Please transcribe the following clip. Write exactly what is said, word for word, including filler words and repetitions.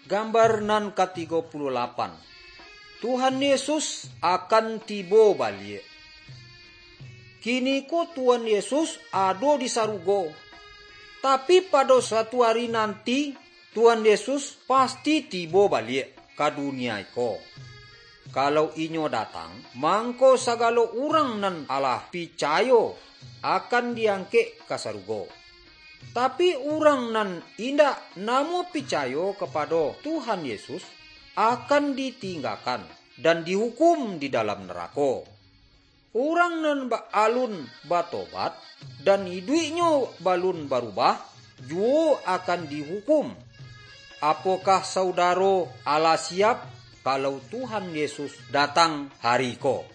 Gambar nan katigo puluah lapan. Tuhan Yesus akan tibo baliak. Kiniko Tuhan Yesus ado di sarugo. Tapi pado suatu ari nanti, Tuhan Yesus pasti tibo baliak ka dunia iko. Kalau inyo datang, mangko sagalo urang nan alah picayo akan diangkek ka sarugo. Tapi urang nan indak namuah picayo kapado Tuhan Yesus, akan ditinggakan dan dihukum di dalam narako. Urang nan ba-, alun batobat, dan iduiknyo balun barubah, juwo akan dihukum. Apokah saudaro alah siap, kalau Tuhan Yesus datang hari ko?